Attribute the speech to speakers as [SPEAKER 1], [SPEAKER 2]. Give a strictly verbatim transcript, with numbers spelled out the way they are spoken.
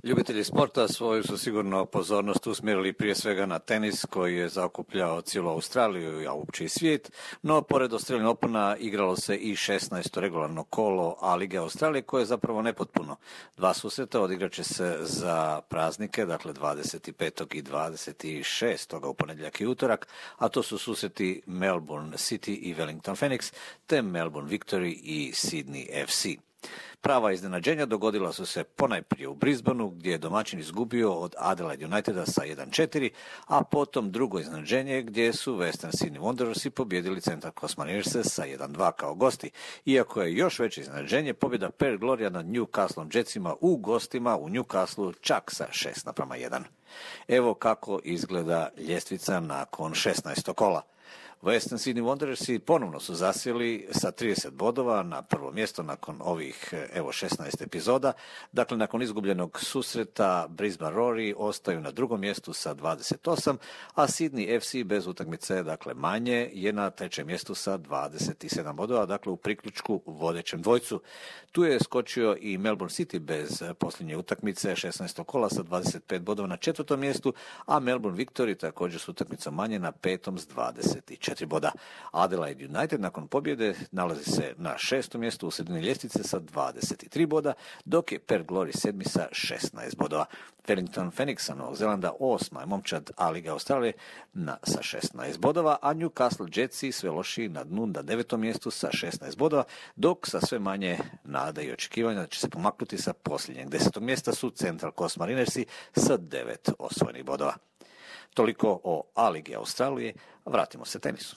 [SPEAKER 1] Ljubitelji sporta svoju su sigurno pozornost usmjerili prije svega na tenis koji je zaokupljao cijelu Australiju, a uopće i svijet, no pored Australian Opena igralo se i šesnaesto regularno kolo A lige Australije koje je zapravo nepotpuno. Dva susreta odigrat će se za praznike, dakle dvadeset petog i dvadeset šestog u ponedjeljak i utorak, a to su susreti Melbourne City i Wellington Phoenix, te Melbourne Victory i Sydney F C. Prava iznenađenja dogodila su se ponajprije u Brisbaneu gdje je domaćin izgubio od Adelaide Uniteda sa jedan četiri, a potom drugo iznenađenje gdje su Western Sydney Wanderersi pobjedili Central Coast Marinerse sa jedan dva kao gosti, iako je još veće iznenađenje pobjeda Perth Gloria nad Newcastle Jetsima u gostima u Newcastleu čak sa šest naprama jedan. Evo kako izgleda ljestvica nakon šesnaestog kola. Western Sydney Wanderersi ponovno su zasjeli sa trideset bodova na prvo mjesto nakon ovih evo šesnaest epizoda. Dakle, nakon izgubljenog susreta Brisbane Roar ostaju na drugom mjestu sa dvadeset osam, a Sydney F C bez utakmice, dakle manje, je na trećem mjestu sa dvadeset sedam bodova, dakle u priključku vodećem dvojcu. Tu je skočio i Melbourne City bez posljednje utakmice šesnaestog kola sa dvadeset pet bodova na četvrtom mjestu, a Melbourne Victory također s utakmicom manje na petom s dvadeset četiri boda. Adelaide United nakon pobjede nalazi se na šestom mjestu u sredini ljestvice sa dvadeset tri boda, dok je Perth Glory sedmi sa šesnaest bodova. Wellington Phoenixa Novog Zelanda osma je momčad A lige Australije na, sa šesnaest bodova, a Newcastle Jetsi sve lošiji na dnu na devetom mjestu sa šesnaest bodova, dok sa sve manje nada i očekivanja da će se pomaknuti sa posljednjeg desetog mjesta su Central Coast Marinersi sa devet osvojenih bodova. Toliko o A ligi Australije, vratimo se tenisu.